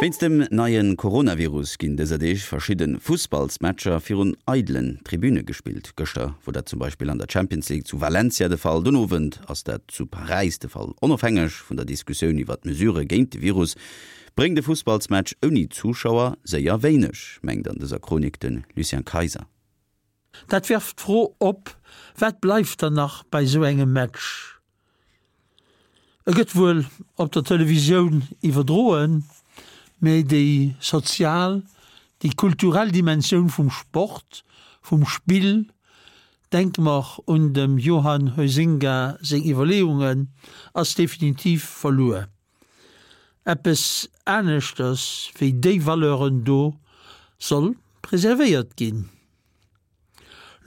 Wéinst dem neie Coronavirus ginn dëser Deeg verschidde Fussballsmatcher virun eidelen Tribüne gespillt. Gëschter wor dat zum Beispill an der Champions League zu Valencia de Fall, den Owend ass dat zu Paräis de Fall. Onofhängeg vun der Diskussioun iwwer d'Mesurë géint de Virus, bréngt e Fussballsmatch ouni Zuschauer séier wéineg, mengt an dëser Chronik de Lucien Kayser. Dat werft d'Fro op, Wat bleift dann nach bei esou engem Match? E gëtt wuel op der Televisioun iwwerdroen, mee déi sozial, déi kulturell Dimensioun vum Sport, vum Spill, denke mer un dem Johan Huizinga seng Iwwerleeungen, ass definitiv verluer. Eppes aneschters wéi déi Valeuren do soll preservéiert ginn.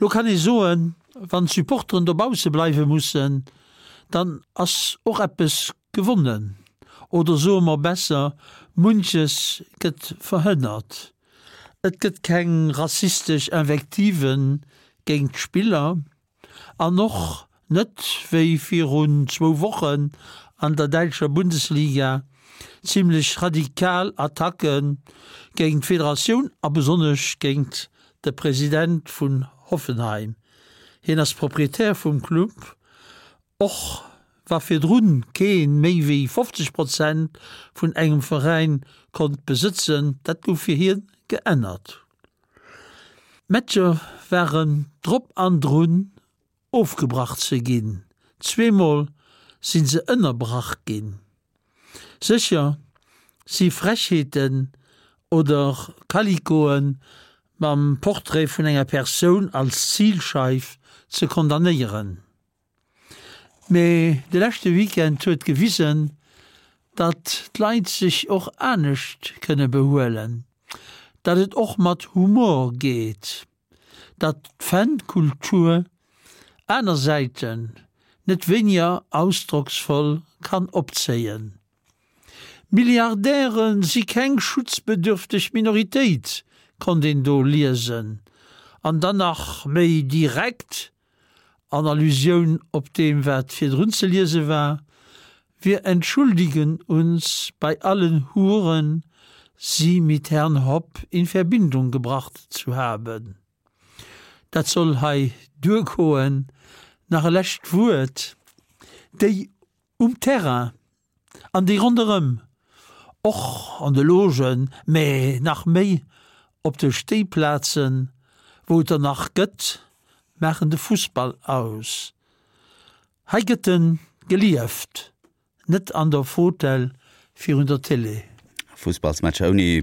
Lo kann ee soen, wann d'Supporteren dobausse bleiwe mussen, dann ass och eppes gewonnen. Oder soe mer besser, munches gëtt verhënnert. Et gëtt keng rassistesch Invektive géint d'Spiller. An och net, wéi virun zwou Wochen an der däitscher Bundesliga, zimmlech radikal Attacke géint d'Federatioun a besonnesch géint de President vun Hoffenheim. Hien ass Proprietär vum Club, och wa virdrun kee méi wéi 50 Prozent vun engem Veräin konnt besëtzen, dat gouf fir hien geännert. D'Matcher waren drop an drun ofgebrach ze ginn, zweemol si se ënnerbrach ginn. Sécher si Frechheeten oder Kalikoe mam Portrait vun enger Persoun als Zilscheif ze condamnéieren. Mee de leschte Weekend huet gewisen, datt d'Leit sech och anescht kënne behuelen, datt et och mat Humor geet, datt d'Fankultur aner Säiten net wéiniger ausdrocksvoll kann opzéien. Milliardäre si keng schutzbedürfteg Minoritéit, konnt een do liesen. An dann nach méi direkt, An Allusioun op deem wat virdrun ze liese war, Wir entschuldigen uns bei allen Huren, Sie mit Herrn Hopp in Verbindung gebracht zu haben. Dat soll hei duergoen. Nach e lescht Wuert, Déi um Terrain An déi ronderëm, och an de Logen, mä nach méi op de Stéiplazen, wou et der nach gëtt, maachen de Fussball aus. Hei gëtt en gelieft, net an der Fotell virun der Télé. Fussballsmatcher ouni.